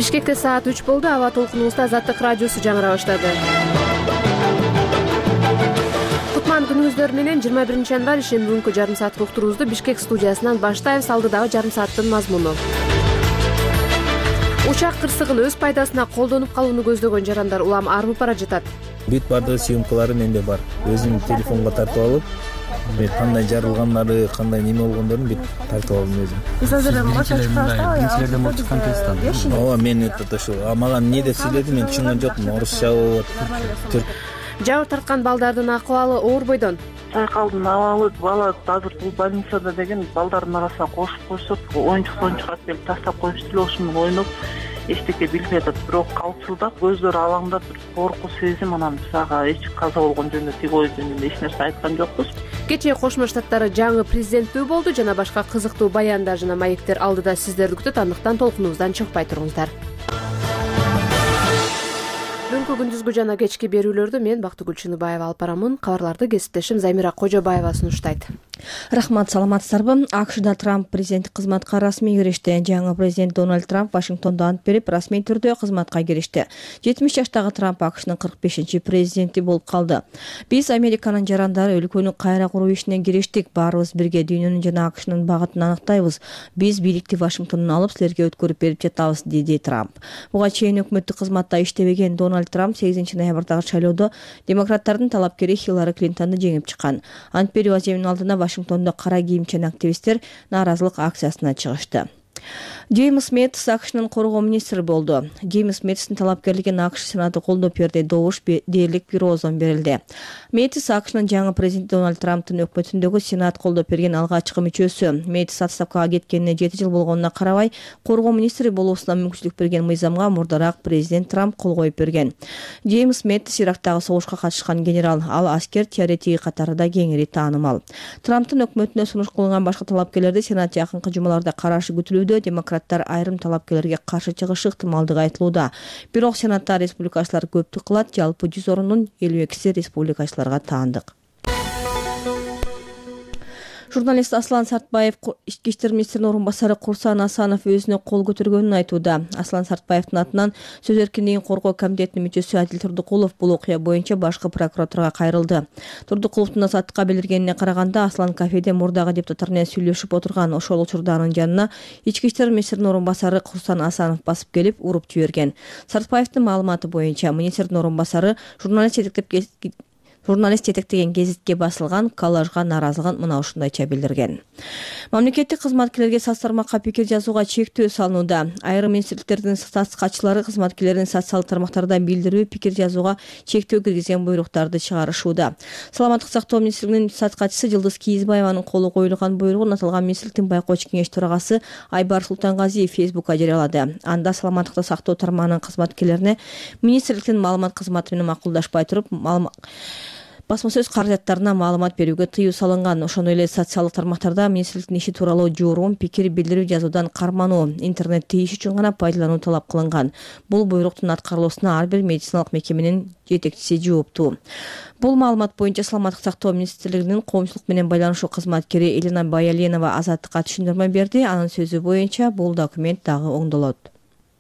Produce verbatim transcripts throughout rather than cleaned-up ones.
Бишкекте саат үч болду. Аба толкунубузда Азаттык радиосу жаңыра баштады. Кутман күнүңүздөр менен жыйырма биринчи январь ишин бүгүнкү жарым сааттык уктуруубузду Бишкек студиясынан баштайбыз. Алдыдагы жарым сааттын мазмуну. Учак кырсыгын өз пайдасына колдонуп калууну көздөгөн жарандар улам арбып бара жатат. Бүт бардыгы съемкалары менде бар. Өзүм телефонго тартып алып, кандай жарылганлары, кандай неме болгондорун бүт тартып алдым өзүм. Сиз азыр башка чыккансызбы? Бул чыккан кезден. Ооба, мен өтө ошо. А мага эмне деп сүйлөдү, мен түшүнгөн жокмун. Орусча болот, түрк. Жабыр тарткан балдардын акыбалы оор бойдон. Сайкалдын абалы бала азыр бул больницада деген балдардын арасына кошуп койсок, оюнчук оюнчук алып келип таштап коюшту эле, ошону ойноп эчтеке билбей атат. Бирок калчылдап, көздөрү алаңдап, бир коркуу сезим, анан биз ага эч каза болгон жөнүндө, тигөө жөнүндө эч нерсе айткан жокпуз. Кечээ Кошмо Штаттары жаңы президенттүү болду. Жана башка кызыктуу баяндар жана маектер алдыда сиздерди күтөт. Андыктан толкунубуздан чыкпай туруңуздар. Бүгүнкү күндүзгү жана кечки берүүлөрдү мен Бактыгүл Чыныбаева алып барамын. Кабарларды кесиптешим Займира Кожобаева сунуштайт. Рахмат, саламатсыздарбы? АКШда Трамп президенттик кызматка расмий киришти. Жаңы президент Дональд Трамп Вашингтондо ант берип, расмий түрдө кызматка киришти. жетимиш жаштагы Трамп АКШнын кырк бешинчи президенти болуп калды. Биз Американын жарандары өлкөнү кайра куруу ишине кириштик. Баарыбыз бирге дүйнөнүн жана АКШнын багытын аныктайбыз. Биз бийликти Вашингтондон алып силерге өткөрүп берип жатабыз, деди Трамп. Буга чейин өкмөттүк кызматта иштебеген Дональд Трамп сегизинчи ноябрдагы шайлоодо демократтардын талапкери Хиллари Клинтонду жеңип чыккан. Ант берүү аземинин алдына Вашингтондо кара кийимчен активисттер нааразылык акциясына чыгышты. Джеймс Мэттис АКШнын коргоо министри болду. Джеймс Мэттистин талапкерлигин АКШ Сенаты колдоп берди. Добуш дээрлик бир оозон берилди. Мэттис АКШнын жаңы президенти Дональд Трамптын өкмөтүндөгү Сенат колдоп берген алгачкы мүчөсү. Мэттис отставкага кеткенине жети жыл болгонуна карабай, коргоо министри болуусуна мүмкүнчүлүк берген мыйзамга мурдараак президент Трамп кол коюп берген. Джеймс Мэттис Ирактагы согушка катышкан генерал, ал аскер теоретиги катарында кеңири таанымал. Трамптын өкмөтүнө сунуш кылынган башка талапкерлерди Сенат жакынкы жумаларда карашы күтүлүүдө. Демократтар айрым талапкерлерге каршы чыгышы ыктымалдыгы айтылууда. Бирок Сенатта республикачылар көптүк кылат. Жалпы жүз орындын элүү экиси республикачыларга таандык. Журналист Аслан Сартбаев ички иштер министринин орун басары Курсан Асанов өзүнө кол көтөргөнүн айтууда. Аслан Сартбаевдин атынан сөз эркиндигин коргоо комитетинин мүчөсү Адил Турдукулов бул окуя боюнча башкы прокуратурага кайрылды. Турдукуловдун азаттыкка билдиргенине караганда, Аслан кафеде мурдагы депутаттар менен сүйлөшүп отурган. Ошол учурда анын жанына ички иштер министринин орун басары Курсан Асанов басып келип, уруп жиберген. Сартбаевдин маалыматы боюнча, министрдин орун басары журналист жетектеп Журналист жетектеген гезитке басылган коллажга нааразылыгын мына ушундайча билдирген. Мамлекеттик кызматкерлерге соц тармакка пикир жазууга чектөө салынууда. Айрым министрликтердин соц катчылары кызматкерлерин социалдык тармактарда билдирүү, пикир жазууга чектөө киргизген буйруктарды чыгарышууда. Саламаттык сактоо министрлигинин соц катчысы Жылдыз Кийизбаеванын колу коюлган буйругун аталган министрликтин байкоочу кеңеш төрагасы Айбар Султангазиев Фейсбукка жарыялады. Анда саламаттыкты сактоо тармагынын кызматкерлерине министрликтин маалымат кызматы менен макулдашпай туруп, басма сөз каражаттарына маалымат берүүгө тыюу салынган. Ошондой эле социалдык тармактарда министрликтин иши тууралуу жорум, пикир билдирүү жазуудан кармануу, интернетти иш үчүн гана пайдалануу талап кылынган. Бул буйруктун аткарылуусуна ар бир медициналык мекеменин жетекчиси жооптуу. Бул маалымат боюнча Саламаттык сактоо министрлигинин коомчулук менен байланышуу кызматкери Елена Баяленова Азаттыкка түшүндүрмө берди. Анын сөзү боюнча бул документ дагы оңдолот.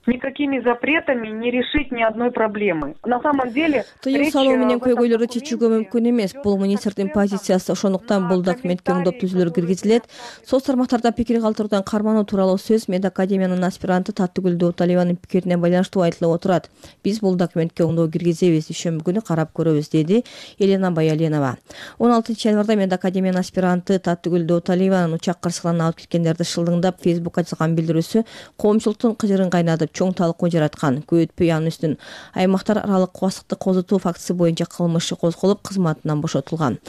Никакими запретами не решить ни одной проблемы. На самом деле, тыюу салуу менен көйгөйлөрдү чечүүгө мүмкүн эмес. Бул министрдин позициясы. Ошондуктан бул документке оңдоп түзүүлөр киргизилет. Соц тармактарда пикир калтыруудан кармануу тууралуу сөз медакадемиянын аспиранты Таттыгүл Дооталиеванын пикирине байланыштуу айтылып отурат. Биз бул документке оңдоо киргизебиз, дүйшөмбү күнү карап көрөбүз, деди Елена Баяленова. он алтынчы январда медакадемиянын аспиранты Таттыгүл Дооталиеванын учак кырсыгынан алып кеткендерди шылдыңдап Фейсбукка жазган билдирүүсү коомчулуктун кыжырын кайнатып, чоң талкуу жараткан. Көп өтпөй анын үстүн аймактар аралык кубастыкты козутуу фактысы боюнча кылмыш козголуп, кызматынан бошотулган.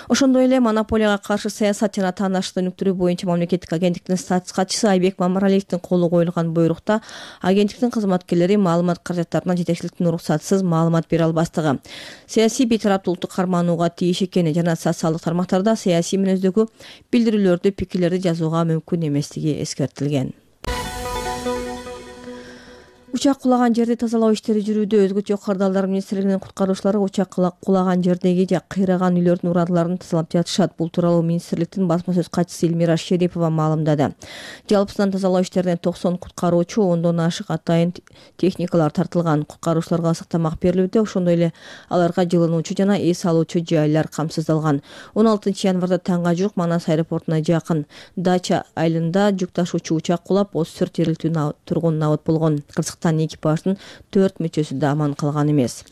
Ошондой эле монополияга каршы саясат жана тааныштык өнүктүрүү боюнча мамлекеттик агенттиктин статус катчысы Айбек Мамаралиевдин колу коюлган буйрукта агенттиктин кызматкерлери маалымат каражаттарына жетекчиликтин уруксатсыз маалымат бере албастыгы, саясий бейтараптуулукту карманууга тийиш экени жана социалдык тармактарда саясий мүнөздөгү билдирүүлөрдү, пикирлерди жазууга мүмкүн эместиги эскертилген. Учак кулаган жерди тазалоо иштери жүрүүдө. Өзгөчө кырдаалдар министрлигинин куткаруучулары учак кулаган жердеги же кыйраган үйлөрдүн урааларын тазалап жатышат. Бул тууралуу министрликтин басма сөз катчысы Элмира Шерипова маалымдады. Жалпысынан тазалоо иштерине токсон куткаруучу, ондон ашык атайын техникалар тартылган. Куткаруучуларга сактамак берилүүдө, ошондой эле аларга жылынуучу жана эс алуучу жайлар камсыздалган. он алтынчы январда таңга жук Манас аэропортуна жакын Дача айылында жүк ташуучу учак кулап, отуз төрт жергиликтүү тургун набыт болгон. Кырсыктан экипаждын төрт мүчөсү да аман калган эмес.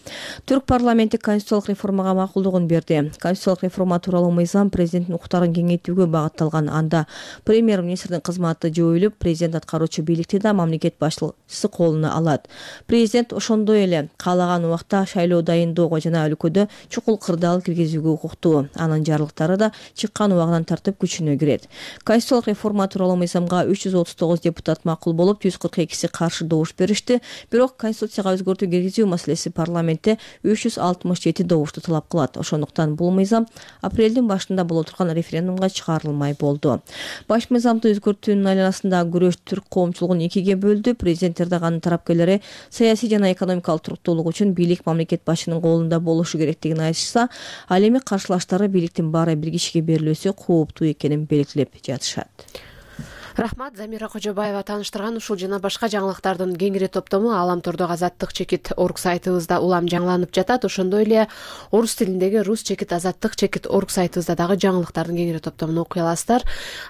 Түрк парламенти конституциялык реформага макулдугун берди. Конституциялык реформа тууралуу мыйзам президенттин укуктарын кеңейтүүгө багытталган. Анда премьер-министрдин кызматы жоюлуп, президент аткаруучу бийликти да мамлекет башчысы колуна алат. Президент ошондой эле каалаган убакта шайлоо дайындоого жана өлкөдө чукул кырдаал киргизүүгө укуктуу. Анын жарлыктары да чыккан убагынан тартып күчүнө кирет. Конституциялык реформа тууралуу мыйзамга үч жүз отуз тогуз депутат макул болуп, жүз кырк экиси каршы добуш беришти. Бирок конституцияга өзгөртүү киргизүү маселеси парламентте үч жүз алтымыш жети добушту талап кылат. Ошондуктан бул мыйзам апрелдин башында боло турган референдумга чыгарылмай болду. Баш мыйзамды өзгөртүүнүн айланасында күрөш түрк коомчулугун экиге бөлдү. Президент Эрдогандын тарапкерлери саясий жана экономикалык туруктуулук үчүн бийлик мамлекет башчынын колунда болушу керектигин айтышса, ал эми каршылаштары бийликтин баары бир кишиге берилүүсү кооптуу экенин белгилеп жатышат. Рахмат, Замира Кожобаева тааныштырган ушул жана башка жаңылыктардын кеңири топтому Аламтордогу Азаттык чекит орг сайтыбызда улам жаңыланып жатат. Ошондой эле орус тилиндеги Рус чекит Азаттык чекит орг сайтыбызда дагы жаңылыктардын кеңири топтомун окуй аласыздар.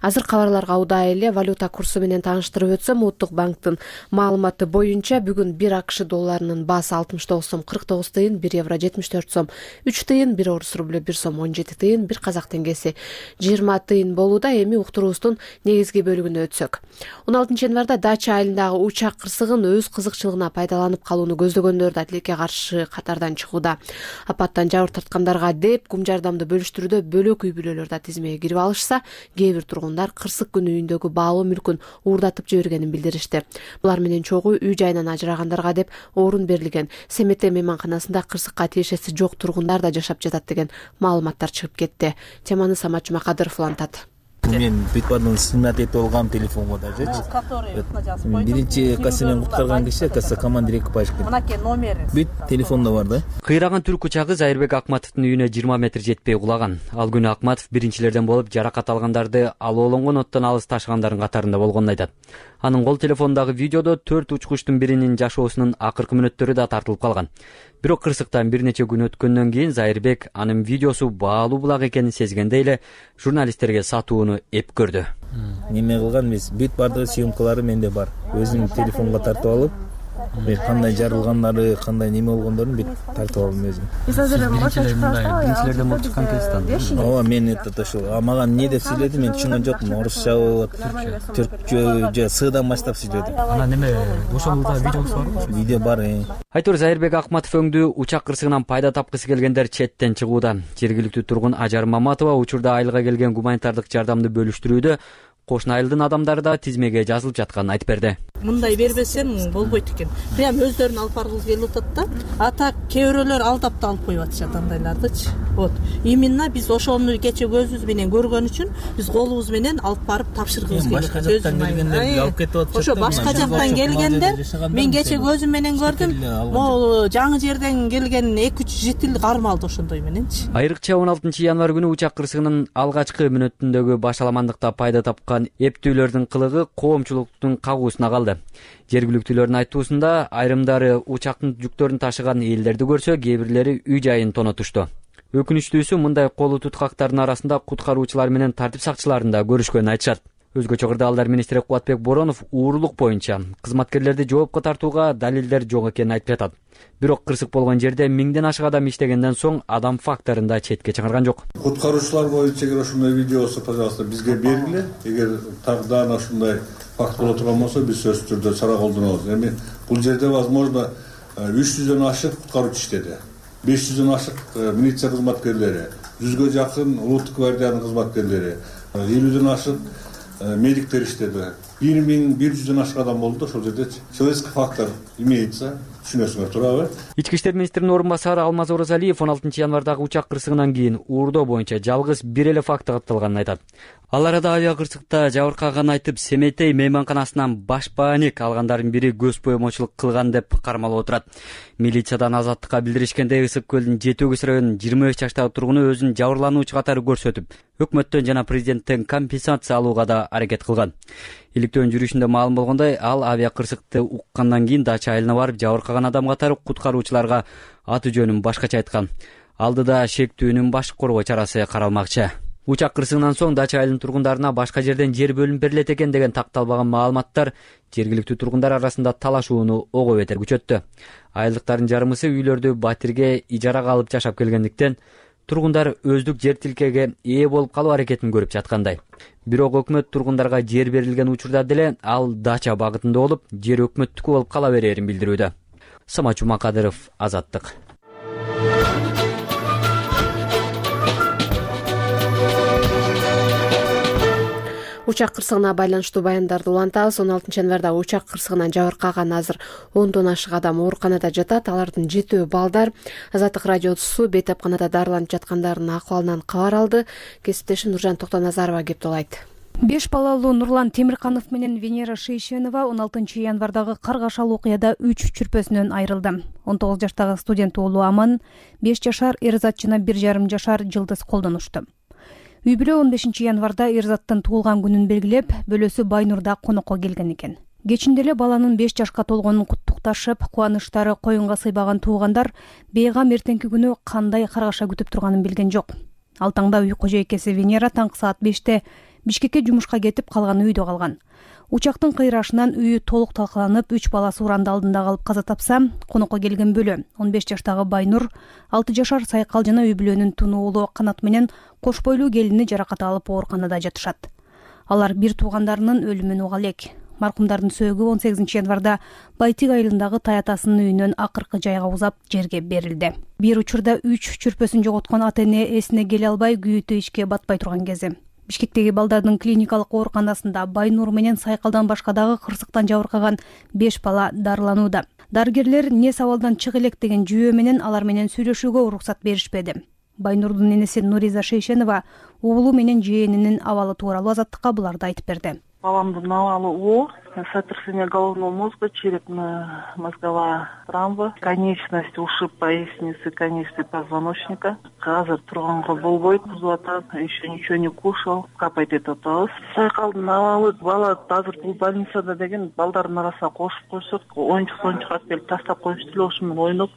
Азыр кабарларга удай эле валюта курсу менен тааныштырып өтсөм, Улуттук банктын маалыматы боюнча бүгүн бир АКШ долларынын баасы алтымыш тогуз сом кырк тогуз тыйын, бир евро жетимиш төрт сом үч тыйын, бир орус рублю бир сом он жети тыйын, бир казак теңгеси жыйырма тыйын болууда. Эми уктуруубуздун негизги бөлүгүнө өтсөк. он алтынчы январда Дача айылындагы учак кырсыгын өз кызыкчылыгына пайдаланып калууну көздөгөндөр да тилекке каршы катардан чыгууда. Апаттан жабыр тарткандарга деп кум жардамды бөлүштүрүүдө бөлөк үй бүлөлөр да тизмеге кирип алышса, кээ бир тургундар кырсык күнү үйүндөгү баалуу мүлкүн уурдатып жибергенин билдиришти. Булар менен чогуу үй жайынан ажырагандарга деп орун берилген. Семете мейманканасында кырсыкка тиешеси жок тургундар да жашап жатат деген маалыматтар чыгып кетти. Теманы Самат Жумакадыров улантат. Мен Битбардын снимать этип алгам телефонго дажычы. Биринчи кассамен куткарган киши касса командир экипаж. Мынакей номери. Бүт телефондо бар да. Кыйраган түрк учагы Зайырбек Акматовдун үйүнө жыйырма метр жетпей кулаган. Ал күнү Акматов биринчилерден болуп, жаракат алгандарды алоолонгон оттон алыс ташыгандардын катарында болгонун айтат. Анын кол телефондагы видеодо төрт учкучтун биринин жашоосунун акыркы мүнөттөрү да тартылып калган. Бирок кырсыктан бир нече күн өткөндөн кийин Зайырбек анын видеосу баалуу булак экенин сезгенде эле журналисттерге сатууну эп көрдү. Неме кылган эмес, бүт бардыгы съемкалары менде бар. Өзүм телефонго тартып алып, мен кандай жарылгандары, кандай неме болгондорун бүт тартып алдым өзүм. Биринчилерден болуп чыккан кезде. Ооба, мен это ошо маган эмне деп сүйлөдү, мен түшүнгөн жокмун. Орусчабы, түркчө же сыдан баштап сүйлөдү. Анан неме, ошондо видеосу барбы? Видео бар. Айтор Зайырбек Акматов өңдүү учак кырсыгынан пайда тапкысы келгендер четтен чыгууда. Жергиликтүү тургун Ажар Маматова учурда айылга келген гуманитардык жардамды бөлүштүрүүдө кошуна айылдын адамдары да тизмеге жазылып жатканын айтып берди. Мындай бербесем болбойт экен. Прям өздөрүн алып баргысы келип атат да. А так кээ алдап да алып коюп атышат андайлардычы. Вот. Именно биз ошону кече көзүбүз менен көргөн үчүн биз колубуз менен алып барып тапшыргыбыз келет. Башка жактан келгендер алып кетип атышат. Ошо башка жактан келгендер мен кече көзүм менен көрдүм. Могу жаңы жерден келген эки үч житил кармалды ошондой мененчи. Айрыкча он алтынчы январ күнү учак кырсыгынын алгачкы мүнөтүндөгү башаламандыкта пайда тапкан эптүүлөрдүн кылыгы коомчулуктун кагуусуна калды. Жергиликтүүлөрдүн айтуусунда айрымдары учактын жүктөрүн ташыган элдерди көрсө, кээ бирлери үй жайын тонотушту. Өкүнүчтүүсү мындай колу туткактардын арасында куткаруучулар менен тартип сакчыларын да көрүшкөнүн айтышат. Өзгөчө кырдаалдар министри Кубатбек Боронов уурулук боюнча кызматкерлерди жоопко тартууга далилдер жок экенин айтып жатат. Бирок кырсык болгон жерде миңден ашык адам иштегенден соң адам факторун да четке чыгарган жок. Куткаруучулар боюнча эгер ошондой видеосу, пожалуйста, бизге бергиле. Эгер тагдaan ошондой факт боло турган болсо, биз сөзсүз түрдө чара колдонобуз. Эми бул жерде возможно үч жүздөн ашык куткаруучу иштеди. беш жүздөн ашык милиция кызматкерлери, жүзгө жакын улуттук гвардиянын кызматкерлери, элүүдөн ашык медиктер иштеди. бир миң бир жүздөн ашык адам болду ошол жерде. Человеческий фактор имеется. түшүнөсүңөр туурабы? Ички иштер министринин орун басары Алмаз Оразалиев он алтынчы январдагы учак кырсыгынан кийин уурдоо боюнча жалгыз бир эле факты катталганын айтат. Ал арада авиа кырсыкта жабыркаганын айтып, Семетей мейманканасынан баш бааник алгандардын бири көз боемочулук кылган деп кармалып отурат. Милициядан Азаттыкка билдиришкенде Ысык көлдүн Жети Өгүз районунун жыйырма беш жаштагы тургуну өзүн жабырлануучу катары көрсөтүп, өкмөттөн жана президенттен компенсация алууга да аракет кылган. Иликтөөнүн жүрүшүндө маалым болгондой, ал авиа кырсыкты уккандан кийин дача айылына барып, жабыркаган адам катары куткаруучуларга аты жөнүн башкача айткан. Алдыда шектүүнүн башкы коргоо чарасы каралмакчы. Учак кырсыгынан соң дача айылынын тургундарына башка жерден жер бөлүнүп берилет экен деген такталбаган маалыматтар жергиликтүү тургундар арасында талашууну ого бетер күчөттү. Айылдыктардын жарымысы үйлөрдү батирге ижарага алып жашап келгендиктен тургундар өздүк жер тилкеге ээ болуп калуу аракетин көрүп жаткандай. Бирок өкмөт тургундарга жер берилген учурда деле ал дача багытында болуп, жер өкмөттүкү болуп кала берерин билдирүүдө. Самат Жумакадыров, Азаттык. Учак кырсыгына байланыштуу баяндарды улантабыз. он алтынчы январда учак кырсыгынан жабыркаган азыр ондон ашык адам ооруканада жатат. Алардын жетөө балдар. Азаттык радиосу бейтапканада дарыланып жаткандардын акыбалынан кабар алды. Кесиптешим Нуржан Токтоназарова кептолайт. Беш балалуу Нурлан Темирканов менен Венера Шейшенова он алтынчы январдагы каргашал окуяда үч чүрпөсүнөн айрылды. он тогуз жаштагы студент уулу Аман, беш жашар Эрзат жана бир жарым жашар Жылдыз колдонушту. Үй бүлө он бешинчи январда Эрзаттын туулган күнүн белгилеп, бөлөсү Байнурда конокко келген экен. Кечинде эле баланын беш жашка толгонун куттукташып, кубанычтары коюнга сыйбаган туугандар бейгам эртеңки күнү кандай каргаша күтүп турганын билген жок. Ал таңда үй кожойкеси Венера таңкы саат беште Бишкекке жумушка кетип, калганы үйдө калган. Учактын кыйрашынан үйү толук талкаланып, үч баласы уранды алдында калып каза тапса, конокко келген бөлө он беш жаштагы Байнур, алты жашар Сайкал жана үй бүлөнүн туну уулу Канат менен кош бойлуу келини жаракат алып ооруканада жатышат. Алар бир туугандарынын өлүмүн уга элек. Маркумдардын сөөгү он сегизинчи январда Байтик айылындагы таятасынын үйүнөн акыркы жайга узап жерге берилди. Бир учурда үч чүрпөсүн жоготкон ата эне эсине келе албай күйүүтү ишке батпай турган кези. Бишкектеги балдардын клиникалык ооруканасында Байнур менен Сайкалдан башка дагы кырсыктан жабыркаган беш бала дарыланууда. Дарыгерлер нес абалдан чык элек деген жүйө менен алар менен сүйлөшүүгө уруксат беришпеди. Байнурдун энеси Нуриза Шейшенова уулу менен жээнинин абалы тууралуу Азаттыкка буларды айтып берди. Баламдын абалы оор, сотрясение головного мозга, черепно-мозговая травма, конечность ушиб поясницы, конечности позвоночника. Азыр турганга болбойт, кузуп атат, еще ничего не кушал, капать этип атабыз. Сайкалдын абалы бала азыр бул больницада деген балдардын арасына кошуп койсок, оюнчук союнчук алып келип тастап коюшту эле, ошо менен ойноп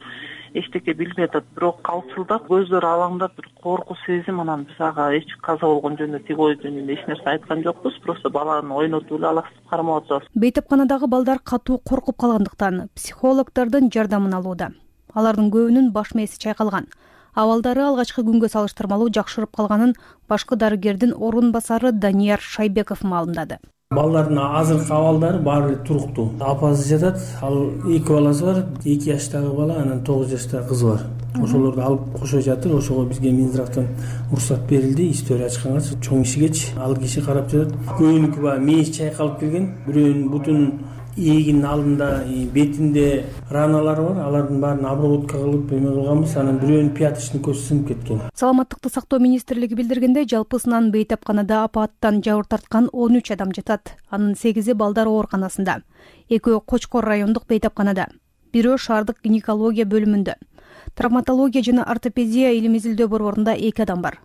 эчтеке билбей атат, бирок калчылдап, көздөрү алаңдап, бир коркуу сезим, анан биз ага эч каза болгон жөнүндө тиги ой жөнүндө эч нерсе айткан жокпуз, просто баланы ойнотуп эле алаксып кармап атабыз. Бейтапканадагы балдар катуу коркуп калгандыктан психологдордун жардамын алууда. Алардын көбүнүн баш мээси чайкалган. Абалдары алгачкы күнгө салыштырмалуу жакшырып калганын башкы дарыгердин орун басары Данияр Шайбеков маалымдады. Балдардын азыркы абалдары баары туруктуу. Апасы жатат, ал эки баласы бар, эки жаштагы бала, анан тогуз жаштагы кызы бар. Ошолорду алып кошо жатыр. Ошого бизге Минздравтан уруксат берилди. История ачканга чоң кишигечи ал киши карап жатат. Көбүнүкү баягы мээси чайкалып келген. Бирөөнүн бутунун ийигинин алдында, бетинде раналары бар. Алардын баарын обработка кылып эме кылганбыз. Анан бирөөнүн пяточный көзү сынып кеткен. Саламаттыкты сактоо министрлиги билдиргендей, жалпысынан бейтапканада апаттан жабыр тарткан он үч адам жатат. Анын сегизи балдар ооруканасында, экөө Кочкор райондук бейтапканада, бирөө шаардык гинекология бөлүмүндө. Травматология жана ортопедия илим изилдөө борборунда эки адам бар.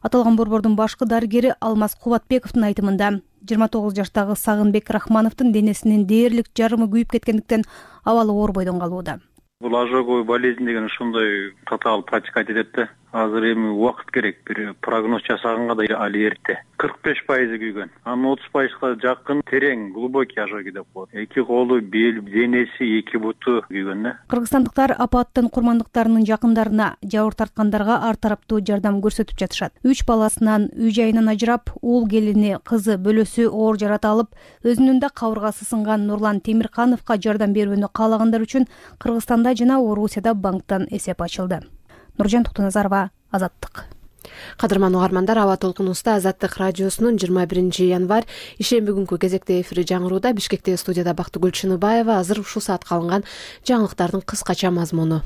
Аталган борбордун башкы дарыгери Алмаз Кубатбековдун айтымында жыйырма тогуз жаштагы Сагынбек Рахмановдун денесинин дээрлик жарымы күйүп кеткендиктен абалы оор бойдон калууда. Бул ожоговый болезнь деген ушундай татаал протекать этет да. Азыр эми убакыт керек, бир прогноз жасаганга да али эрте. кырк беш пайызы күйгөн. Анын отуз пайызга жакын терең, глубокий ожоги деп коет. Эки колу, бел, денеси, эки буту күйгөн да. Кыргызстандыктар апаттын курмандыктарынын жакындарына, жабыр тарткандарга ар тараптуу жардам көрсөтүп жатышат. Үч баласынан үй жайынан ажырап, уул келини, кызы, бөлөсү оор жарата алып, өзүнүн да кабыргасы сынган Нурлан Темиркановго жардам берүүнү каалагандар үчүн Кыргызстанда жана Орусияда банктан эсеп ачылды. Нуржан Токтоназарова, Азаттык. Кадырман угармандар, Аба толкунубузда Азаттык радиосунун жыйырма биринчи январь ишемби күнкү кезекте эфири жаңырууда. Бишкектеги студияда Бактыгүл Чыныбаева. Азыр ушул саатка алынган жаңылыктардын кыскача мазмуну.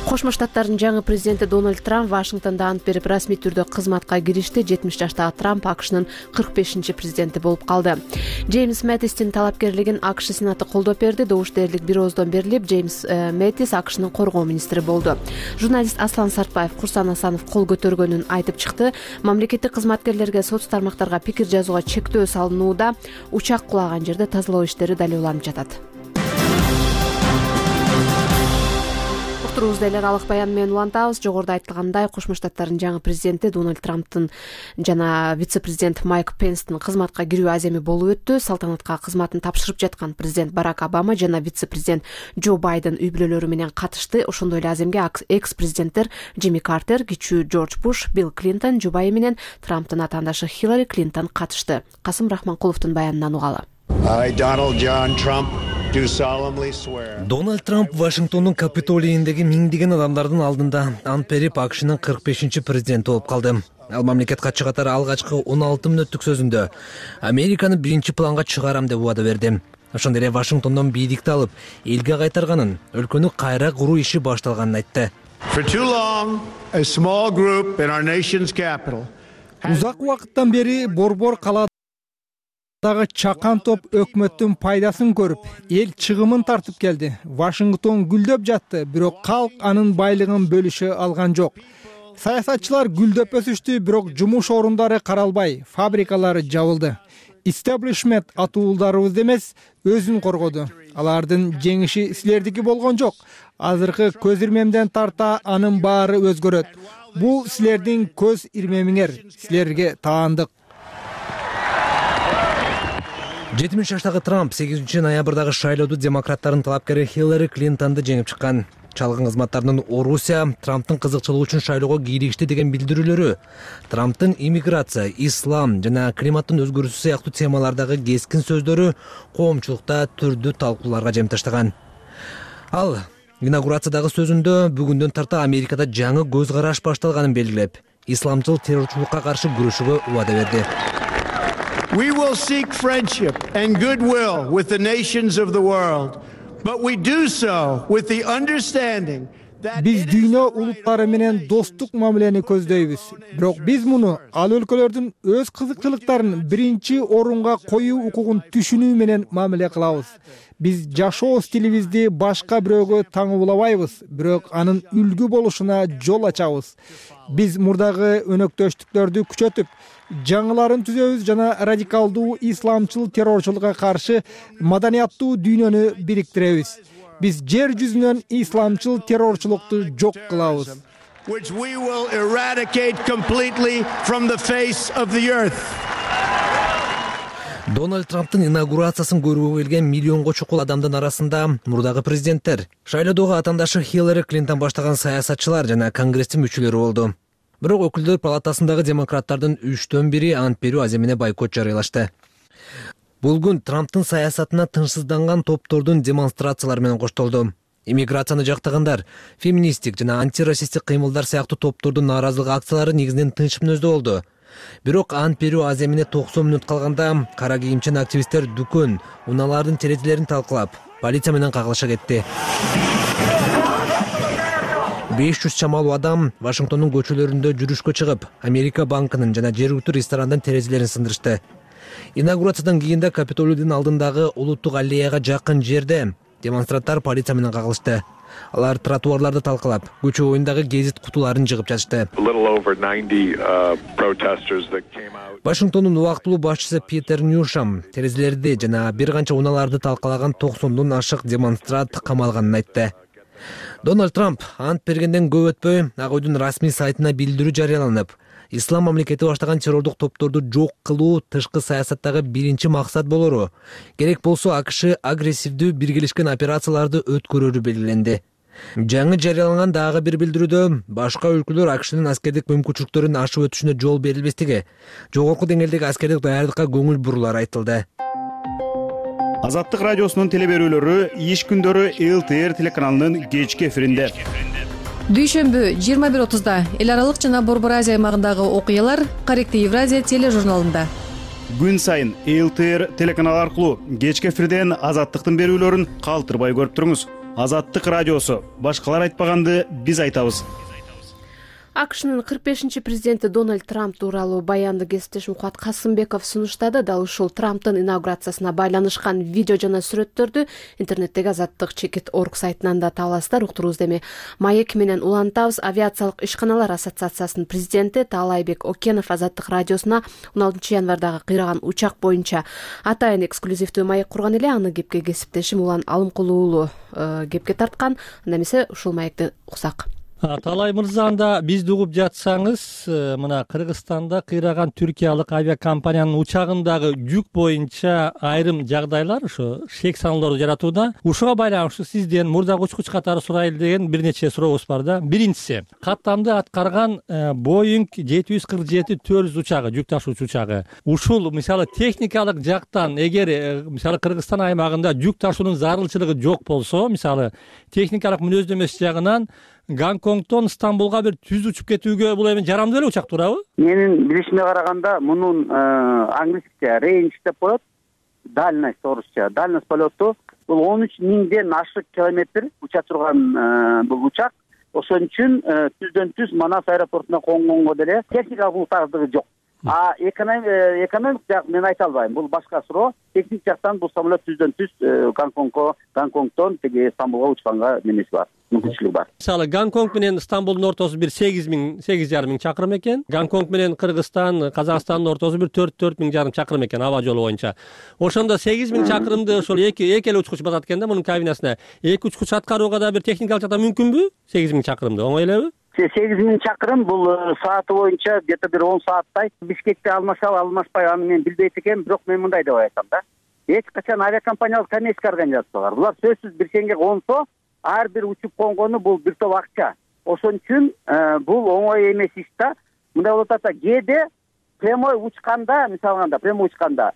Кошмо Штаттардын жаңы президенти Дональд Трамп Вашингтондо ант берип расмий түрдө кызматка киришти. жетимиш жаштагы Трамп АКШнын кырк бешинчи президенти болуп калды. Джеймс Мэттистин талапкерлигин АКШ Сенаты колдоп берди. Добуш дээрлик бир ооздон берилип, Джеймс Мэттис АКШнын коргоо министри болду. Журналист Аслан Сартбаев Курсан Асанов кол көтөргөнүн айтып чыкты. Мамлекеттик кызматкерлерге соц тармактарга пикир жазууга чектөө салынууда. Учак кулаган жерде тазалоо иштери дале уланып жатат. Эле алык баян менен улантабыз. Жогоруда айтылгандай, Кошмо Штаттардын жаңы президенти Дональд Трамптын жана вице-президент Майк Пенстин кызматка кирүү аземи болуп өттү. Салтанатка кызматын тапшырып жаткан президент Барак Обама жана вице-президент Джо Байден үй бүлөлөрү менен катышты. Ошондой эле аземге экс-президенттер Джимми Картер, кичүү Джордж Буш, Билл Клинтон, жубайы менен Трамптын атаандашы Хиллари Клинтон катышты. Касым Рахманкуловдун баянынан угалы. Дональд Трамп Вашингтондун Капитолийиндеги миңдеген адамдардын алдында ант берип АКШнын кырк бешинчи президенти болуп калды. Ал мамлекет катчы катары алгачкы он алты мүнөттүк сөзүндө Американы биринчи планга чыгарам деп убада берди. Ошондой эле Вашингтондон бийликти алып, элге кайтарганын, өлкөнү кайра куруу иши башталганын айтты. Узак убакыттан бери борбор кала дагы чакан топ өкмөттүн пайдасын көрүп, эл чыгымын тартып келди. Вашингтон гүлдөп жатты, бирок калк анын байлыгын бөлүшө алган жок. Саясатчылар гүлдөп өсүштү, бирок жумуш орундары каралбай, фабрикалары жабылды. Истеблишмент атуулдарыбыз эмес, өзүн коргоду. Алардын жеңиши силердики болгон жок. Азыркы көз ирмемден тарта анын баары өзгөрөт. Бул силердин көз ирмемиңер, силерге таандык. жетимиш жаштагы Трамп сегизинчи ноябрдагы шайлоодо демократтардын талапкери Хиллари Клинтонду жеңип чыккан. Чалгын кызматтарынын Орусия Трамптын кызыкчылыгы үчүн шайлоого кийлигишти деген билдирүүлөрү Трамптын иммиграция, ислам жана климаттын өзгөрүүсү сыяктуу темалардагы кескин сөздөрү коомчулукта түрдүү талкууларга жем таштаган. Ал инаугурациядагы сөзүндө бүгүндөн тарта Америкада жаңы көз караш башталганын белгилеп, исламчыл террорчулукка каршы күрөшүүгө убада берди. We will seek friendship and goodwill with the nations of the world, but we do so with the understanding that Биз дүйнө улуттары менен достук мамилени көздөйбүз. Бирок биз муну ал өлкөлөрдүн өз кызыкчылыктарын биринчи орунга коюу укугун түшүнүү менен мамиле кылабыз. Биз жашоо стилибизди башка бирөөгө таңуулабайбыз, бирок анын үлгү болушуна жол ачабыз. Биз мурдагы өнөктөштүктөрдү күчөтүп, жаңыларын түзөбүз жана радикалдуу исламчыл террорчулукка каршы маданияттуу дүйнөнү бириктиребиз. Биз жер жүзүнөн исламчыл террорчулукту жок кылабыз. Which we will eradicate completely from the face of the earth. Дональд Трамптын инаугурациясын көрүүгө келген миллионго чукул адамдын арасында мурдагы президенттер, шайлоодогу атаандашы Хиллари Клинтон баштаган саясатчылар жана конгресстин мүчөлөрү болду. Бирок өкүлдөр палатасындагы демократтардын үчтөн бири ант берүү аземине бойкот жарыялашты. Бул күн Трамптын саясатына тынчсызданган топтордун демонстрациялары менен коштолду. Иммиграцияны жактагандар, феминисттик жана антирасисттик кыймылдар сыяктуу топтордун нааразылык акциялары негизинен тынч мүнөздө болду. Бирок ант берүү аземине токсон мүнөт калганда кара кийимчен активисттер дүкөн, унаалардын терезелерин талкалап, полиция менен кагылыша кетти. беш жүз чамалуу адам Вашингтондун көчөлөрүндө жүрүшкө чыгып, Америка банкынын жана жергиликтүү ресторандын терезелерин сындырышты. Инаугурациядан кийин да Капитолийдин алдындагы улуттук аллеяга жакын жерде демонстранттар полиция менен кагылышты. Алар тротуарларды талкалап, көчө боюндагы гезит кутуларын жыгып жатышты. Вашингтондун убактылуу башчысы Питер Ньюшам терезелерди жана бир канча унааларды талкалаган токсондон ашык демонстрант камалганын айтты. Дональд Трамп ант бергенден көп өтпөй Ак Үйдүн расмий сайтына билдирүү жарыяланып, ислам мамлекети баштаган террордук топторду жок кылуу тышкы саясаттагы биринчи максат болору, керек болсо АКШ агрессивдүү биргелешкен операцияларды өткөрөрү белгиленди. Жаңы жарыяланган дагы бир билдирүүдө башка өлкөлөр АКШнын аскердик мүмкүнчүлүктөрүн ашып өтүшүнө жол берилбестиги, жогорку деңгээлдеги аскердик даярдыкка көңүл бурулары айтылды. Азаттык радиосунун теле берүүлөрү иш күндөрү эл тэ эр телеканалынын кечки эфиринде. Дүйшөмбү жыйырма бир отузда эл аралык жана Борбор Азия аймагындагы окуялар Корректив Евразия тележурналында. Күн сайын эл тэ эр телеканалы аркылуу кечки эфирден Азаттыктын берүүлөрүн калтырбай көрүп туруңуз. Азаттык радиосу. Башкалар айтпаганды биз айтабыз. акшнын кырк бешинчи президенти Дональд Трамп тууралуу баянды кесиптешим Кубат Касымбеков сунуштады. Дал ушул Трамптын инаугурациясына байланышкан видео жана сүрөттөрдү интернеттеги Азаттык чекит орг сайтынан да таба аласыздар. Уктуруубузду эми Маек менен улантабыз. Авиациялык ишканалар ассоциациясынын президенти Таалайбек Окенов Азаттык радиосуна он алтынчы январдагы кыйраган учак боюнча атайын эксклюзивдүү маек курган эле. Аны кепке кесиптешим Улан Алымкулуу уулу кепке тарткан. Анда эмесе ушул маекти уксак. Таалай мырза, анда бизди угуп жатсаңыз, мына Кыргызстанда кыйраган түркиялык авиакомпаниянын учагындагы жүк боюнча айрым жагдайлар ошо шек саноолорду жаратууда. Ушуга байланыштуу сизден мурдагы учкуч катары сурайлы деген бир нече сурообуз бар да. Биринчиси, каттамды аткарган Боинг жети жүз кырк жети төрт жүз учагы, жүк ташуучу учагы. Ушул мисалы техникалык жактан эгер мисалы Кыргызстан аймагында жүк ташуунун зарылчылыгы жок болсо, мисалы техникалык мүнөздөмөсү жагынан Гонконгдон Стамбулга бир түз учуп кетүүгө бул эми жарамдуу эле учак туурабы? Менин билишиме караганда мунун англисче range деп коет, дальность орусча. Дальность полету бул он үч миңден ашык километр уча турган бул учак. Ошон үчүн түздөн түз Манас аэропортуна конгонго деле техникалык бултардыгы жок. А экономик жак мен айта албайм. Бул башка суроо. Техник жактан бул самолет түздөн түз Гонконгко, Гонконгдон теге Стамбулга учканга немеси бар, мүмкүнчүлүгү бар. Мисалы Гонконг менен Стамбулдун ортосу бир сегиз миң, сегиз жарым миң чакырым экен. Гонконг менен Кыргызстан, Казакстандын ортосу бир төрт төрт миң жарым чакырым экен аба жолу боюнча. Ошондо сегиз миң чакырымды ошол эки эки эле учкуч басат экен да мунун кабинасына. Эки учкуч аткарууга да бир техникалык жактан мүмкүнбү? сегиз миң чакырымды оңой элеби? сегиз миң чакырым бул сааты боюнча где-то бир он сааттай. Бишкекте алмашабы, алмашпай аны мен билбейт экенмин, бирок мен мындай деп айтам да. Эч качан авиакомпаниялык коммерческий организация бар. Булар сөзсүз бир сеңге консо, ар бир учуп конгону бул бир топ акча. Ошон үчүн бул оңой эмес иш да. Мындай болуп атат, кээде прямой учканда, мисалганда прямой учканда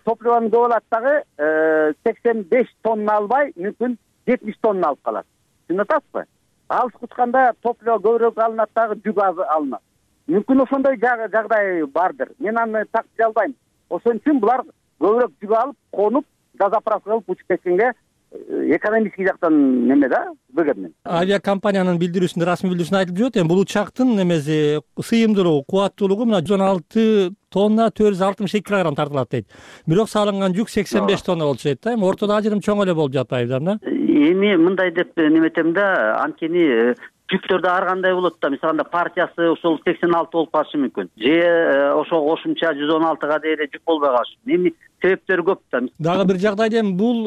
топливону көп алат дагы сексен беш тонна албай, мүмкүн жетимиш тонна алып калат. Түшүнүп атасызбы? Алыс учканда топливо көбүрөөк алынат дагы жүк аз алынат. Мүмкүн ошондой жагдай бардыр. Мен аны тактий албайм. Ошон үчүн булар көбүрөөк жүк алып, конуп, газоправка кылып учуп кеткенге экономический жактан неме да, выгодный. Авиакомпаниянын билдирүүсүндө, расмий билдирүүсүндө айтылып жүрөт, эми бул учактын немеси сыйымдуулугу, кубаттуулугу мына жүз он алты тонна төрт жүз алтымыш эки килограмм тартылат дейт. Бирок салынган жүк сексен беш тонна болчу дейт да. Эми ортодо ажырым чоң эле болуп жатпайбы да? Эми мындай деп неметем да, анткени жүктөрдө ар кандай болот да. Мисалында партиясы ошол сексен алты болуп калышы мүмкүн. Же ошого кошумча жүз он алтыга дейре жүк болбой калышы. Эми себептери көп да. Дагы бир жагдайда эми бул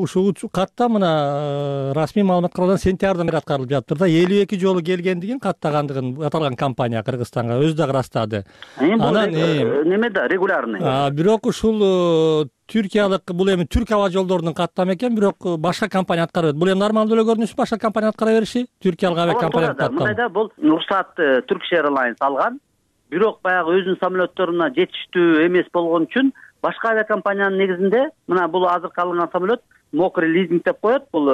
ушул катта мына расмий маалымат каралган сентябрдан бери аткарылып жатыр да. элүү эки жолу келгендигин, каттагандыгын аталган компания Кыргызстанга өзү дагы ырастады. Анан неме да, регулярный. Бирок ушул түркиялык бул эми түрк аба жолдорунун каттамы экен, бирок башка компания аткарат. Бул эми нормалдуу эле көрүнүш, башка компания аткара бериши, түркиялык авиакомпания каттамы. Мындайда бул уруксат Turkish Airlines алган. Бирок баягы өзүнүн самолетторуна жетиштүү эмес болгон үчүн башка авиакомпаниянын негизинде мына бул азыркы алынган самолет мокрый лизинг деп коет. Бул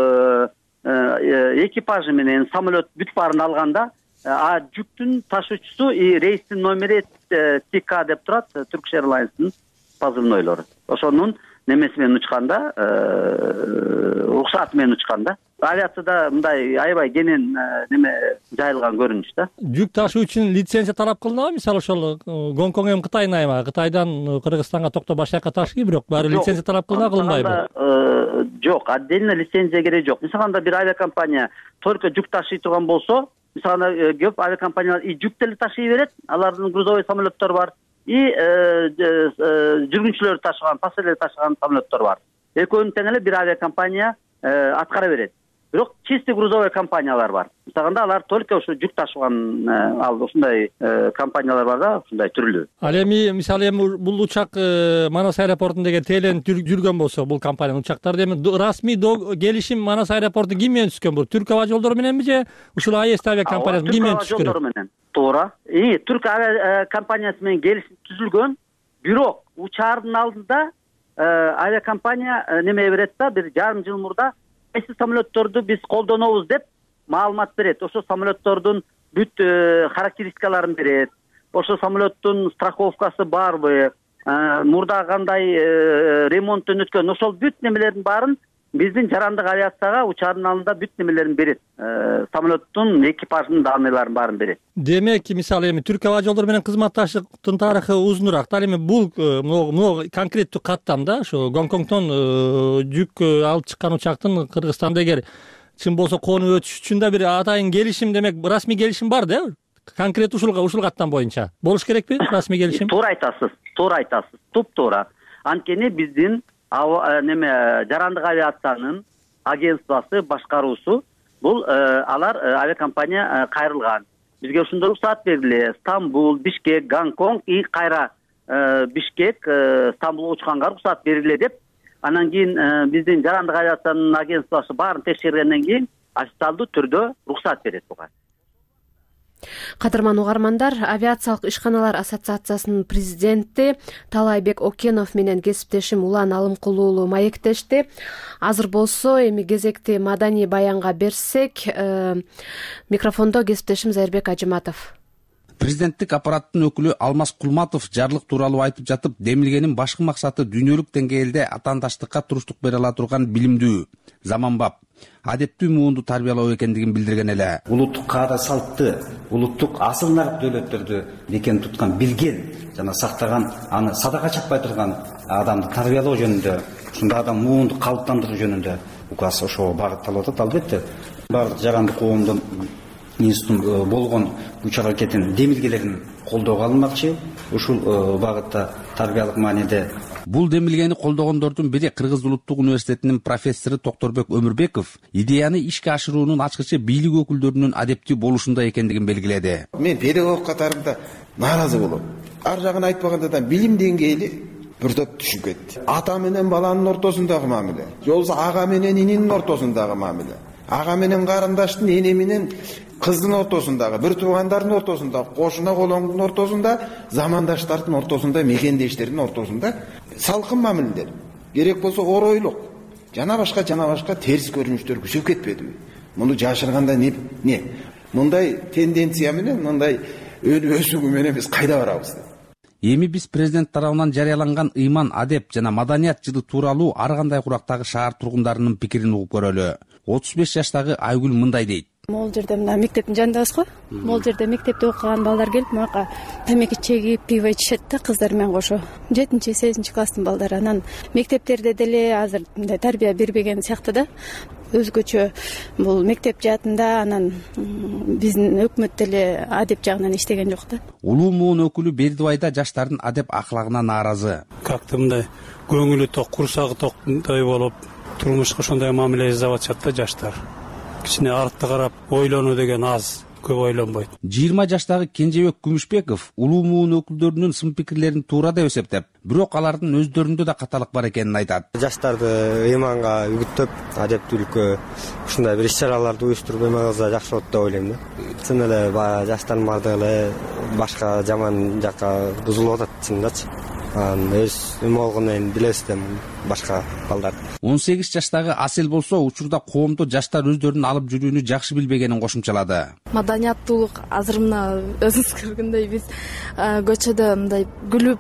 экипажы менен самолет бүт баарын алганда, а жүктүн ташуучусу и рейстин номери Ти К деп турат, Turkish Airlines'нын позывнойлору. Ошонун немеси менен учканда, уруксаты менен учканда, авиацияда мындай аябай кенен неме жайылган көрүнүш да. Жүк ташуу үчүн лицензия талап кылынабы? Мисалы ошол Гонконг эми Кытайдын аймагы, Кытайдан Кыргызстанга токтоп башка жака ташый, бирок баары лицензия талап кылына кылынбайбы? Жок, отдельно лицензия керек жок. Мисалында бир авиакомпания только жүк ташый турган болсо, мисалында көп авиакомпаниялар и жүк деле ташый берет, алардын грузовой самолеттори бар. И жүргүнчүлөрдү ташыган, пассажирлерди ташыган самолеттор бар. Экөөнү тең эле бир авиакомпания аткара берет. Бирок чисто грузовой компаниялар бар. Мисалында алар только ушу жүк ташыган ал ушундай компаниялар бар да, ушундай түрлүү. Ал эми мисалы эми бул учак Манас аэропортунда теленип жүргөн болсо, бул компаниянын учактары эми расмий келишим Манас аэропорту ким менен түзгөн? Бул Түрк аба жолдору мененби же ушул А Е С авиакомпаниясы ким менен түзгөн? Түрк аба жолдору менен. Туура. И Түрк авиакомпаниясы менен келишим түзүлгөн. Бирок учаардын алдында авиакомпания неме берет да, бир жарым жыл мурда кайсы самолетторду биз колдонобуз деп маалымат берет. Ошо самолеттордун бүт характеристикаларын берет. Ошо самолеттун страховкасы барбы, мурда кандай ремонттон өткөн, ошол бүт немелердин баарын биздин жарандык авиацияга учаардын алдында бүт немелерин берет. Самолеттун экипажынын данныйларын баарын берет. Демек, мисалы эми Түрк аба жолдору менен кызматташтыктын тарыхы узунураак. Ал эми бул могу конкреттүү каттам да, ошо Гонконгдон жүк алып чыккан учактын Кыргызстанда эгер чын болсо конуп өтүш үчүн да бир атайын келишим, демек расмий келишим бар да? Конкрет ушул ушул каттам боюнча болуш керекпи расмий келишим? Туура айтасыз, туура айтасыз. Туп-туура. Анткени биздин неме жарандык авиациянын агентствосы, башкаруусу бул алар авиакомпания кайрылган. Бизге ошондой уруксаат бериле. Стамбул, Бишкек, Гонконг и кайра Бишкек, Стамбулга учканга уруксаат бериле деп, анан кийин биздин жарандык авиациянын агентствосу баарын текшергенден кийин официалдуу түрдө уруксаат берет буга. Кадырман угармандар, авиациялык ишканалар ассоциациясынын президенти Талайбек Окенов менен кесиптешим Улан Алымкулуу маектешти. Азыр болсо эми кезекти маданий баянга берсек, микрофондо кесиптешим Зайырбек Ажыматов. Президенттик аппараттын өкүлү Алмаз Кулматов жарлык тууралуу айтып жатып, демилгенин башкы максаты дүйнөлүк деңгээлде атаандаштыкка туруштук бере ала турган билимдүү, заманбап, адептүү муунду тарбиялоо экендигин билдирген эле. Улуттук каада салтты, улуттук асыл нарк дөөлөттөрдү бекем туткан, билген жана сактаган, аны садака чаппай турган адамды тарбиялоо жөнүндө, ушундай адам муунду калыптандыруу жөнүндө указ ошого багытталып атат. Албетте, бардык жарандык коомдун институтун болгон үч аракетин, демилгелерин колдоого алынмакчы. Ушул багытта тарбиялык мааниде бул демилгени колдогондордун бири Кыргыз улуттук университетинин профессору Токторбек Өмүрбеков идеяны ишке ашыруунун ачкычы бийлик өкүлдөрүнүн адептүү болушунда экендигин белгиледи. Мен педагог катарында нааразы болом. Ар жагын айтпаганда да билим деңгээли бир топ түшүп кетти. Ата менен баланын ортосундагы мамиле, же болбосо ага менен ининин ортосундагы мамиле, ага менен карындаштын, эне менен кыздын ортосундагы, бир туугандардын ортосунда, кошуна колоңдун ортосунда, замандаштардын ортосунда, мекендештердин ортосунда салкын мамилелер. Керек болсо оройлук, жана башка жана башка терс көрүнүштөр күчөп кетпедиби? Муну жашырганда не? Не? Мындай тенденция менен, мындай өсүгү менен биз кайда барабыз? Эми биз президент тарабынан жарыяланган ыйман, адеп жана маданият жылы тууралуу ар кандай курактагы шаар тургундарынын пикирин угуп көрөлү. отуз беш жаштагы Айгүл мындай дейт. Могул жерде мына мектептин жанындабыз го. Могул жерде мектепте окуган балдар келип, мага темеки чегип, пиво ичишет да, кыздар менен кошо. жетинчи сегизинчи класстын балдары. Анан мектептерде деле азыр мындай тарбия бербеген сыяктуу да. Өзгөчө бул мектеп жаатында, анан биздин өкмөт деле адеп жагынан иштеген жок да. Улуу муун өкүлү Бердибайда жаштардын адеп аклагына нааразы. Как-то мындай көңүлү ток, курсагы токтой болуп, турмушка ошондой мамиле жасап атышат да жаштар. Кичине артты карап ойлонуу деген аз, көп ойлонбойт. жыйырма жаштагы Кенжебек Күмүшбеков улуу муун өкүлдөрүнүн сын пикирлерин туура деп эсептеп, бирок алардын өздөрүндө да каталык бар экенин айтат. Жаштарды ыйманга үгүттөп, адептүүлүккө ушундай бир иш-чараларды уюштуруп эмелсе жакшы болот деп ойлойм да. Чын эле баягы жаштардын баардыгы эле башка жаман жакка бузулуп атат чындачы. Өз эме болгону менен билебиз да башка балдар. он сегиз жаштагы Асел болсо учурда коомдо жаштар өздөрүн алып жүрүүнү жакшы билбегенин кошумчалады. Маданияттуулук азыр мына өзүңүз көргөндөй биз көчөдө мындай күлүп,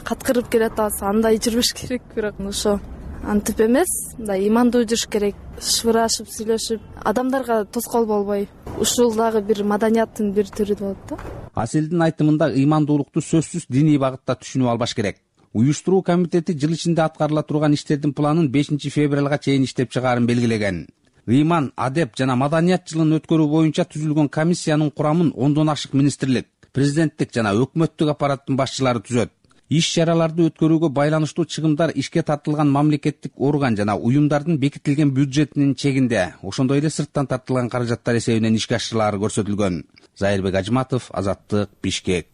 каткырып келатабыз, андай жүрбөш керек, бирок ошо антип эмес, мындай ыймандуу жүрүш керек, шыбырашып, сүйлөшүп, адамдарга тоскоол болбой. Ушул дагы бир маданияттын бир түрү болот да. Аселдин айтымында ыймандуулукту сөзсүз диний багытта түшүнүп албаш керек. Уюштуруу комитети жыл ичинде аткарыла турган иштердин планын бешинчи февралга чейин иштеп чыгаарын белгилеген. Ыйман, адеп жана маданият жылын өткөрүү боюнча түзүлгөн комиссиянын курамын ондон ашык министрлик, президенттик жана өкмөттүк аппараттын башчылары түзөт. Иш-чараларды өткөрүүгө байланыштуу чыгымдар ишке тартылган мамлекеттик орган жана уюмдардын бекитилген бюджетинин чегинде, ошондой эле сырттан тартылган каражаттар эсебинен ишке ашырылары көрсөтүлгөн. Зайырбек Ажыматов, Азаттык, Бишкек.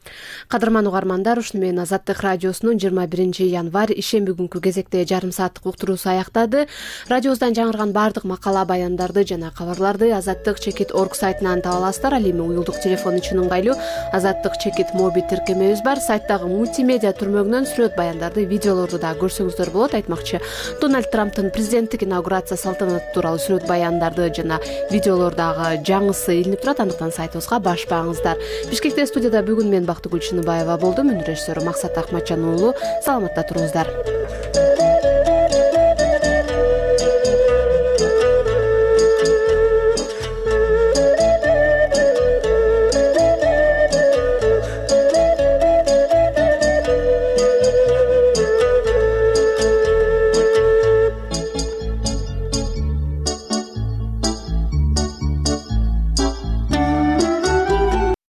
Кадырман угармандар, ушуну менен Азаттык радиосунун жыйырма биринчи январь ишемби күнкү кезекте жарым сааттык уктуруусу аяктады. Радиобуздан жаңырган бардык макала, баяндарды жана кабарларды азаттык чекит орг сайтынан таба аласыздар. Ал эми уюлдук телефон үчүн ыңгайлуу азаттык чекит моби тиркемебиз бар. Сайттагы мультимедиа көрмөгүнөн сүрөт баяндарды, видеолорду да көрсөңүздөр болот. Айтмакчы, Дональд Трамптын президенттик инаугурация салтанаты тууралуу сүрөт баяндарды жана видеолордогу жаңысы илинип турат. Андыктан сайтыбызга башпаңыздар. Бишкекте студияда бүгүн мен Бактыгүл Чыныбаева болдум. Мүнүр режиссеру Максат Акматжан уулу. Саламатта туруңуздар.